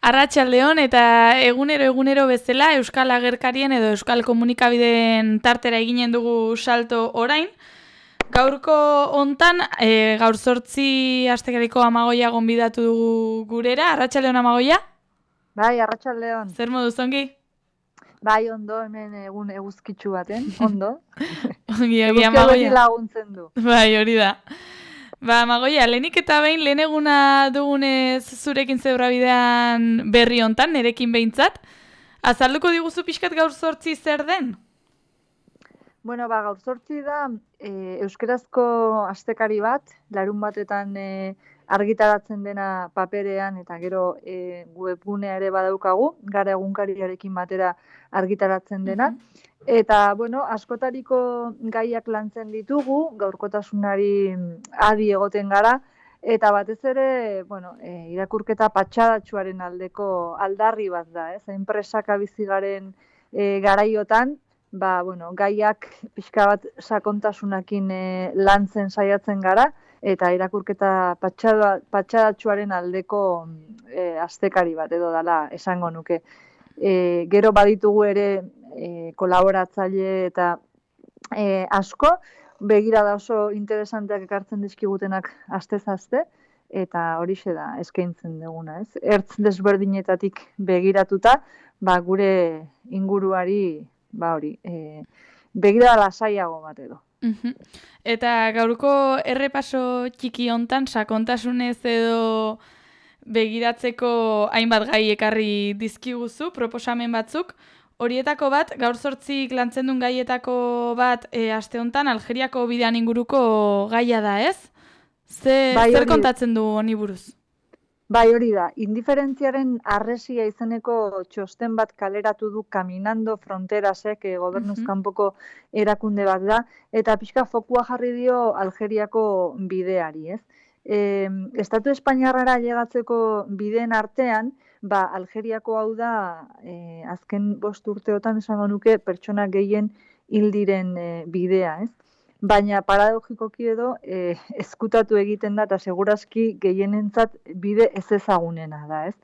Arratsaldeon eta egunero bezala Euskal Agerkarien edo Euskal Komunikabideen tartera eginen dugu salto orain. Gaurko hontan, gaur 8 astekariko Amagoia gonbidatu dugu gurera. Arratsaldeon Amagoia? Bai, arratsaldeon. Zer moduz ongi? Bai, ondo, hemen egun eguzkitsu baten, ondo. Ongi Eguzkiak beti Amagoia. laguntzen du. Bai, hori da. Ba, Amagoia, lehenik eta behin lehen eguna dugunez zurekin zeurra bidean berri hontan, nerekin behintzat. Azalduko diguzu pixkat gaur 8 zer den? Bueno, gaur 8 da euskerazko astekari bat, larun batetan argitaratzen dena paperean eta gero webgunea ere badaukagu, gara egunkariarekin batera argitaratzen dena. Eta, bueno, askotariko gaiak lantzen ditugu, gaurkotasunari adi egoten gara, eta batez ere, bueno, irakurketa patxadatsuaren aldeko aldarri bat da, ez? Enpresaka bizi garen garaiotan, bueno, gaiak pixka bat sakontasunakin lantzen saiatzen gara, eta irakurketa patxadatsuaren aldeko astekari bat edo dala esango nuke. Gero baditugu ere kolaboratzaile eta asko, begira da oso interesanteak ekartzen dizkigutenak astez aste, eta horixe da eskaintzen duguna, ez? Ertz desberdinetatik begiratuta, gure inguruari, hori, begira lasaiago bat edo. Eta gaurko errepaso txiki hontan sakontasunez edo begiratzeko hainbat gai ekarri dizkiguzu, proposamen batzuk. Horietako bat, gaur 8 lantzen duen gaietako bat aste hontan Algeriako bidean inguruko gaia da, ez? Zer kontatzen du honi buruz? Bai, hori da. Indiferentziaren arresia izeneko txosten bat kaleratu du Caminando Fronterasek, gobernuz kanpoko erakunde bat da, eta pixka fokua jarri dio Algeriako bideari, ez? Estatu Espainiarrara llegatzeko bideen artean, Algeriako hau da, azken 5 urteotan esango nuke pertsona gehien hil diren bidea, ez? Baina paradogikoki edo ezkutatu egiten da eta segurazki gehienentzat bide ez ezagunena da, ez?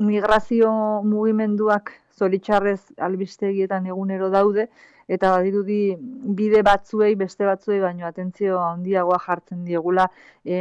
Migrazio mugimenduak zoritxarrez albistegietan egunero daude, eta badirudi bide batzuei, beste batzuei baino atentzio handiagoa jartzen diegula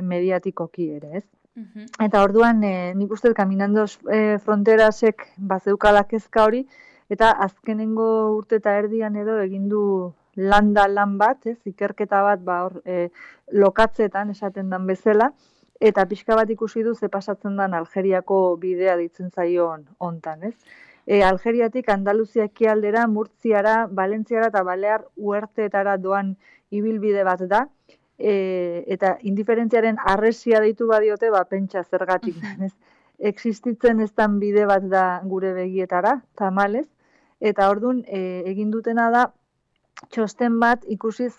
mediatikoki ere, ez? Eta orduan, nik uste Caminando Fronterasek bazeukala kezka hori, eta azkenengo urte eta erdian edo egin du lan bat, ez, ikerketa bat lokatzetan esaten dan bezala, eta pixka bat ikusi du ze pasatzen dan Algeriako bidea ditzen zaion hontan, ez? Algeriatik Andaluzia ekialdera, Murtziara, Valentziara eta Balear Uerteetara doan ibilbide bat da, eta indiferentziaren arresia deitu badiote, pentsa zergatik, ez? Existitzen ez dan bide bat da gure begietara, tamalez, eta orduan egin dutena da, txosten bat ikusiz,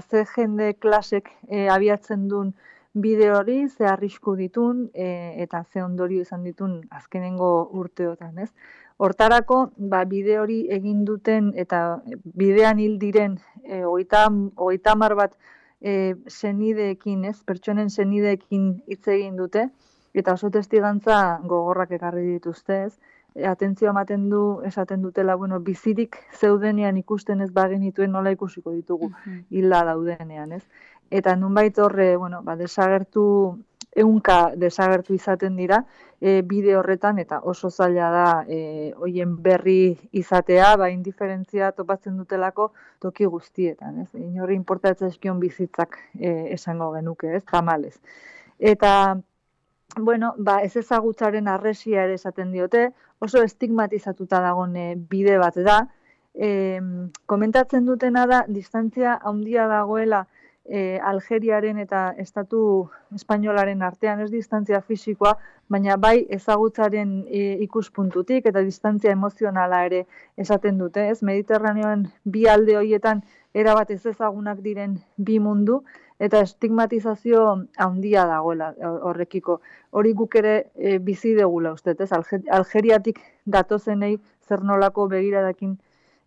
ze jende klasek abiatzen duen bide hori, ze arrisku ditun, eta ze ondorio izan ditun azkenengo urteotan, ez? Hortarako, bide hori egin duten eta bidean hil diren 30 bat senideekin, ez? Pertsonen senideekin hitz egin dute, eta oso testigantza gogorrak ekarri dituzte, ez? Atentzio ematen du, esaten dutela, bizirik zeudenean ikusten ez bagenituen nola ikusiko ditugu hilda daudenean, ez? Eta nunbait horre, desagertu, ehunka desagertu izaten dira bide horretan, eta oso zaila da hoien berri izatea, indiferentzia topatzen dutelako toki guztietan, ez? Inorri importatzen eskion bizitzak esango genuke, ez? Tamalez. Eta ez ezagutzaren arresia ere esaten diote, oso estigmatizatuta dagoen bide bat da. Komentatzen dutena da, distantzia handia dagoela Algeriaren eta Estatu Espainolaren artean, ez distantzia fisikoa, baina bai ezagutzaren ikuspuntutik eta distantzia emozionala ere esaten dute, ez? Mediterraneoan bi alde horietan erabat ez ezagunak diren bi mundu, eta estigmatizazio handia dagoela horrekiko. Hori guk ere bizi degula uste, ez? Algeriatik datozenei zer nolako begiradakin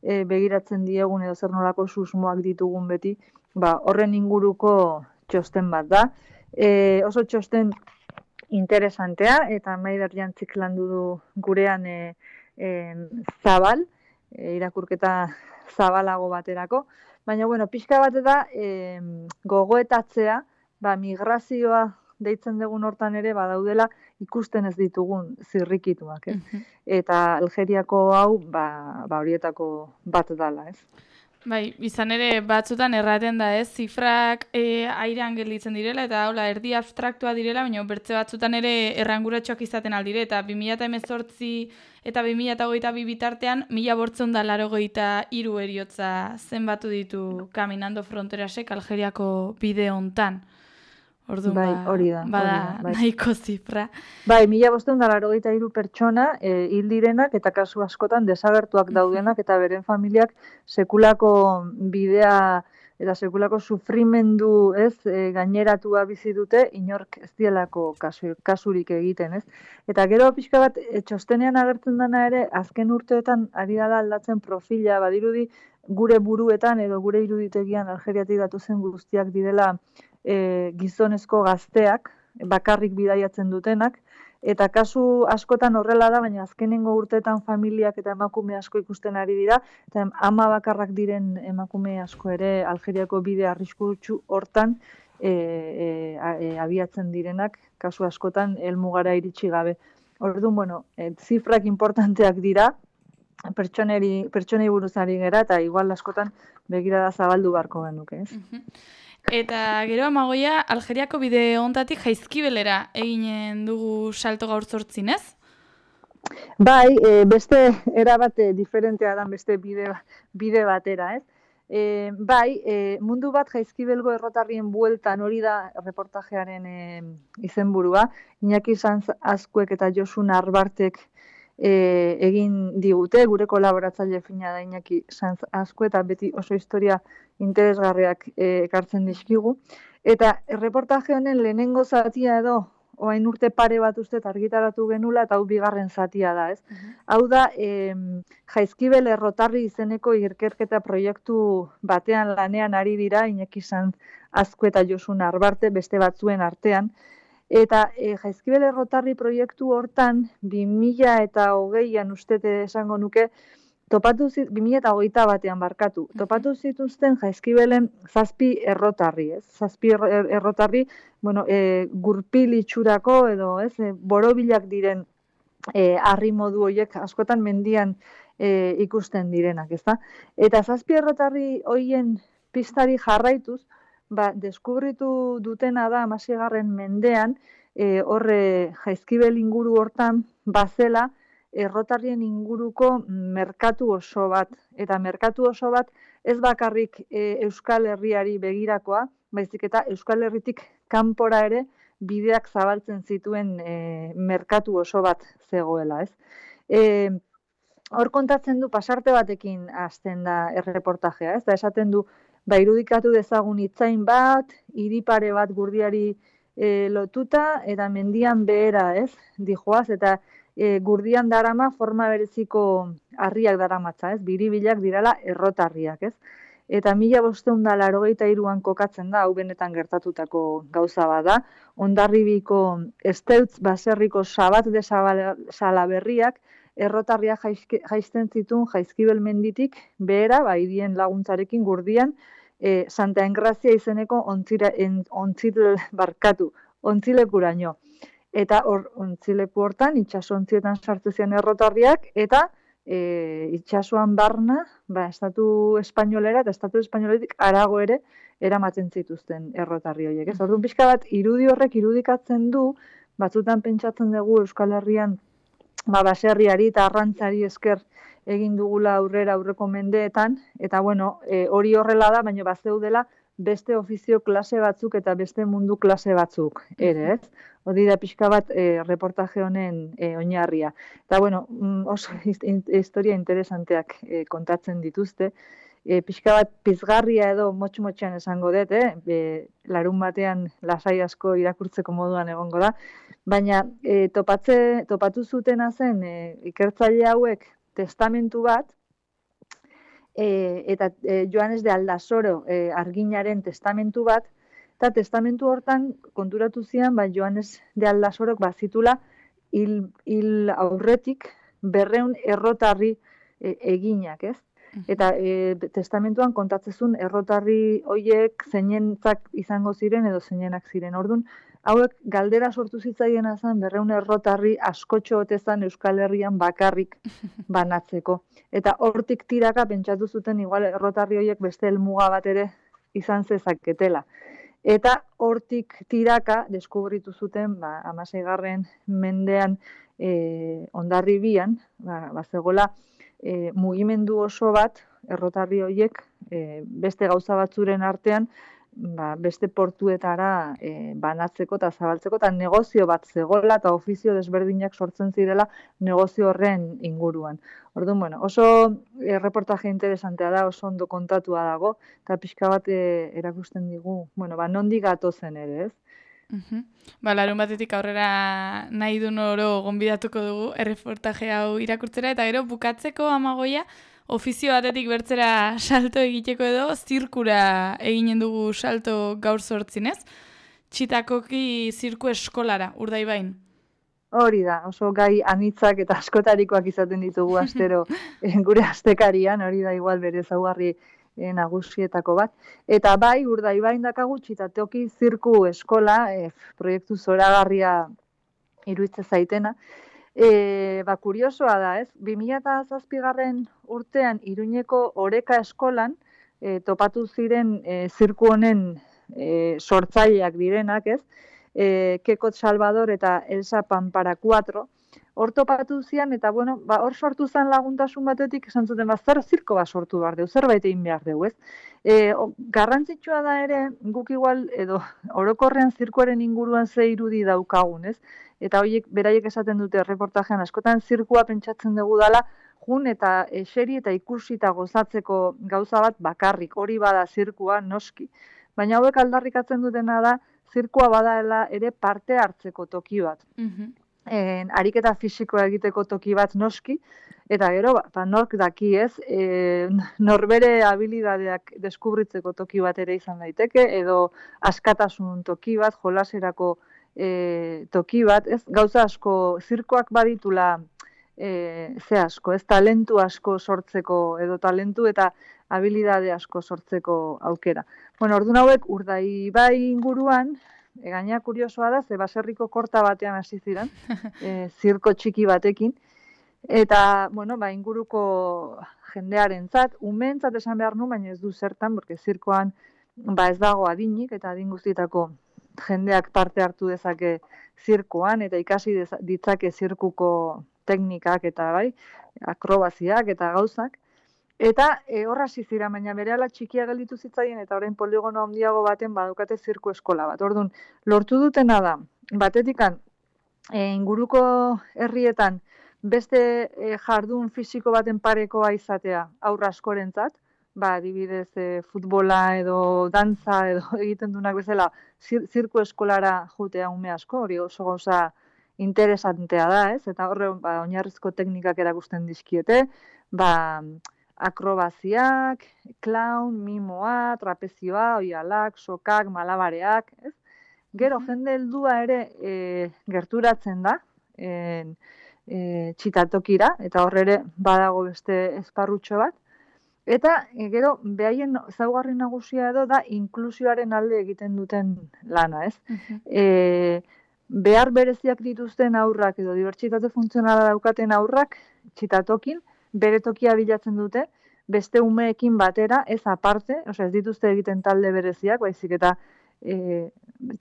begiratzen diegun edo zer nolako susmoak ditugun beti, horren inguruko txosten bat da. Oso txosten interesantea, eta Maider Jantzik landu du gurean zabal, irakurketa zabalago baterako, baina, bueno, pixka bat da gogoetatzea, migrazioa deitzen dugun hortan ere, badaudela ikusten ez ditugun zirrikituak, ez? Eta Algeriako hau, horietako bat dala, ez? Bai, izan ere batzutan erraten da, ez? Zifrak airean gelditzen direla, eta hola, erdi abstraktua direla, baina bertze batzutan ere erranguratxoak izaten aldire, eta 2018 eta 2022 bitartean, 1583 heriotza zenbatu ditu Caminando Fronterasek Algeriako bide hontan. Orduan, hori da. Nahiko zifra. 1583 pertsona hil direnak eta kasu askotan desagertuak daudenak eta beren familiak sekulako bidea eta sekulako sufrimendu, ez, gaineratua bizi dute inork ez dielako kasurik egiten, ez? Eta gero pixka bat txostenean agertzen dana ere azken urteetan ari dela aldatzen profila, badirudi gure buruetan edo gure iruditegian Algeriatik datozen guztiak direla gizonezko gazteak, bakarrik bidaiatzen dutenak, eta kasu askotan horrela da, baina azkenengo urteetan familiak eta emakume asko ikusten ari dira, eta ama bakarrak diren emakume asko ere Algeriako bide arriskutsu hortan abiatzen direnak, kasu askotan helmugara iritsi gabe. Orduan, bueno, zifrak importanteak dira, pertsonei buruz ari gera, eta igual askotan begirada zabaldu barko genuke, ez? Eta gero Amagoia, Algeriako bide hontatik Jaizkibelera eginen dugu salto gaur 8, ez? Bai, beste erabat diferentea dan beste bide batera, ez? Mundu bat Jaizkibelgo errotarrien bueltan, hori da reportajearen izenburua, Iñaki Sanz Azkuek eta Josun Arbartek egin digute, gure kolaboratzaile fina da Iñaki Sanz Azkue, eta beti oso historia interesgarriak ekartzen dizkigu. Eta reportaje honen lehenengo zatia edo, orain urte pare bat uste argitaratu genula, eta hau bigarren zatia da, ez? Hau da, Jaizkibel errotarri izeneko ikerketa proiektu batean lanean ari dira, Iñaki Sanz Azkue eta Josun Arbarte, beste batzuen artean, eta Jaizkibel errotarri proiektu hortan, 2020an ustete esango nuke, 2021 batean barkatu, topatu zituzten Jaizkibelen 7 errotarri, ez? 7 errotarri, bueno, gurpil itxurako edo, ez, borobilak diren harri modu horiek askotan mendian ikusten direnak, ezta? Eta 7 errotarri horien pistari jarraituz, deskubritu dutena da 16. mendean, horre Jaizkibel inguru hortan bazela errotarrien inguruko merkatu oso bat. Eta merkatu oso bat ez bakarrik Euskal Herriari begirakoa, baizik eta Euskal Herritik kanpora ere bideak zabaltzen zituen merkatu oso bat zegoela, ez? Hor kontatzen du pasarte batekin hasten da erreportajea, ez? Da esaten du, irudikatu dezagun hitzain bat, hiri pare bat gurdiari lotuta, eta mendian behera, ez? Dijoaz, eta gurdian darama forma bereziko harriak daramatza, ez? Biribilak dirala errotarriak, ez? Eta 1583an kokatzen da, hau benetan gertatutako gauza bada, Hondarribiko Esteutz baserriko Sabat de Salaberriak errotarria jaisten zituen Jaizkibel menditik behera, hirien laguntzarekin gurdian, Santa Engrazia izeneko ontzilekuraino. Eta ontzileku hortan, itxasontzietan sartu ziren errotarriak, eta itxasuan barna, estatu espainolera eta estatu espainoletik harago ere eramaten zituzten errotarri horiek. Orduan pixka bat, irudi horrek irudikatzen du, batzutan pentsatzen dugu Euskal Herrian baserriari eta arrantzari esker egin dugula aurreko mendeetan, eta bueno, hori horrela da, baina bazeudela beste ofizio klase batzuk eta beste mundu klase batzuk ere, ez? Hori da pixka bat reportaje honen oinarria. Eta bueno, oso historia interesanteak kontatzen dituzte. Pixka bat pizgarria edo motx-motxean esango dut, larun batean lasai asko irakurtzeko moduan egongo da, baina topatu zutena zen ikertzaile hauek testamentu bat, eta Joanes de Aldasoro arginaren testamentu bat, Eta testamentu hortan konturatu zian, Joanes de Aldasorok bazitula hil aurretik 200 errotarri eginak, ez? Eta testamentuan kontatzezun errotarri hoiek zeinentzak izango ziren edo zeinenak ziren. Ordun, hauek galdera sortu zitzaiena zen 200 errotarri askotxo otezan Euskal Herrian bakarrik banatzeko. Eta hortik tiraka pentsatu zuten igual errotarri hoiek beste helmuga bat ere izan zezaketela. Eta hortik tiraka deskubritu zuten 16. mendean Hondarribian, bazegola mugimendu oso bat errotarri horiek beste gauza batzuren artean beste portuetara banatzeko eta zabaltzeko, eta negozio bat zegoela eta ofizio desberdinak sortzen zirela negozio horren inguruan. Orduan, oso reportaje interesantea da, oso ondo kontatua dago, eta pixka bat erakusten digu, nondik gatozen ere, ez? Larun batetik aurrera nahi duen oro gonbidatuko dugu erreportaje hau irakurtzera, eta gero bukatzeko Amagoia, ofizio batetik bertzera salto egiteko edo, zirkura eginen dugu salto gaur 8, ez? Txitakoki zirku eskolara, Urdaibain. Hori da, oso gai anitzak eta askotarikoak izaten ditugu astero gure astekarian, hori da igual bere ezaugarri nagusietako bat. Eta bai, Urdaibain dakagu Txitatoki zirku eskola, proiektu zoragarria iruditzen zaitena. Kuriosoa da, ez? 2007 urtean Iruñeko Oreka eskolan topatu ziren zirku honen sortzaileak direnak, ez? Kekot Salvador eta Elsa Pampara 4, hor topatu zian, eta hor sortu zen laguntasun batetik, esan zuten, zer zirko bat sortu behar dugu, zerbait egin behar dugu, ez? Garrantzitsua da ere, guk igual, edo orokorrean zirkuaren inguruan ze irudi daukagun, ez? Eta horiek, beraiek esaten dute reportajean, askotan zirkua pentsatzen dugu dela, jun eta eseri eta ikusi eta gozatzeko gauza bat bakarrik, hori bada zirkua, noski. Baina hauek aldarrikatzen dutena da, zirkua badaela ere parte hartzeko toki bat. Ariketa fisikoa egiteko toki bat noski, eta gero, nork daki ez, norbere habilidadeak deskubritzeko toki bat ere izan daiteke, edo askatasun toki bat, jolaserako toki bat, ez, gauza asko, zirkoak baditula ze asko, ez, talentu asko sortzeko, edo talentu eta habilidade asko sortzeko aukera. Orduan hauek Urdaibai inguruan, gaina kuriosoa da, ze baserriko korta batean hasi ziren, zirko txiki batekin, eta, inguruko jendearentzat, umeentzat esan behar nu, baina ez du zertan, porque zirkoan ez dago adinik, eta adin guztietako jendeak parte hartu dezake zirkoan, eta ikasi ditzake zirkuko teknikak eta akrobaziak eta gauzak. Eta horra zizira, baina berehala txikia gelditu zitzaien eta orain poligono handiago baten badukate zirku eskola bat. Orduan, lortu dutena da, batetikan inguruko herrietan beste jardun fisiko baten parekoa izatea aurra askorentzat, adibidez futbola edo dantza edo egiten duenak bezala zirku eskolara jutea ume asko, hori oso gauza interesantea da, ez? Eta horre oinarrizko teknikak erakusten dizkiete, akrobaziak, clown, mimoa, trapezioa, oialak, sokak, malabareak, ez? Gero jende heldua ere gerturatzen da Txitatokira, eta hor ere badago beste esparrutxo bat. Eta gero behaien ezaugarri nagusia edo da inklusioaren alde egiten duten lana, ez? Behar bereziak dituzten aurrak edo dibertsitate funtzionala daukaten aurrak Txitatokin bere tokia bilatzen dute, beste umeekin batera, ez aparte, ez dituzte egiten talde bereziak, baizik eta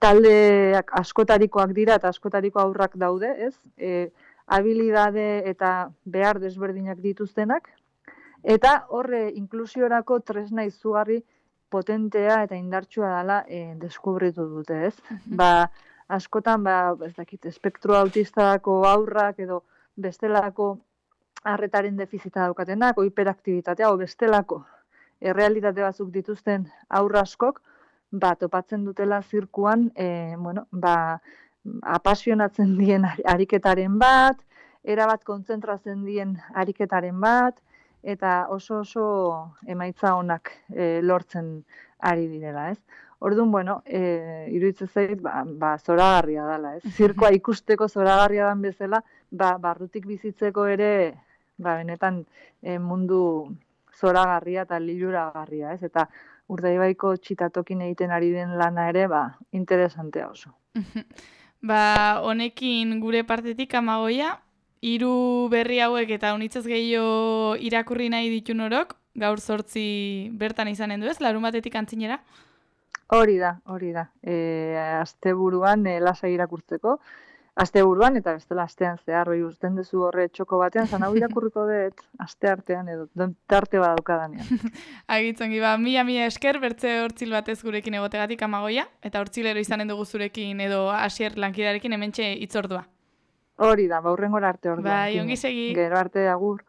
taldeak askotarikoak dira eta askotariko aurrak daude, ez? Habilidade eta behar desberdinak dituztenak, eta horre inklusiorako tresna izugarri potentea eta indartsua dela deskubritu dute, ez? Askotan, ez dakit, espektro autistako aurrak edo bestelako arretaren defizita daukatenak, hiperaktibitatea, o bestelako errealitate batzuk dituzten aurra askok, topatzen dutela zirkuan, apasionatzen dien ariketaren bat, erabat kontzentratzen dien ariketaren bat, eta oso emaitza onak lortzen ari direla, ez? Orduan, bueno, iruditzen zait, zoragarria dela, ez? Zirkoa ikusteko zoragarria dan bezala, barrutik bizitzeko ere, benetan mundu zoragarria eta liluragarria, ez? Eta Urdaibaiko txitatokin egiten ari den lana ere, interesantea oso. Honekin gure partetik Amagoia, 3 berri hauek eta unitzez gehiago irakurri nahi ditu norok, gaur 8 bertan izanen du ez, larunbatetik antzinera? Hori da. Asteburuan lasai irakurtzeko, asteburuan eta bestela astean zehar, uzten duzu horre txoko batean, zan hau irakurriko dut aste artean edo, tarte badaukadanean. Agitzongi, mila esker, bertze hortzil batez gurekin egotegatik Amagoia, eta hortzilero izanen dugu zurekin edo Asier lankidarekin hementxe hitzordua. Hori da, hurrengora arte orduan. Ongi segi. Gero arte, agur.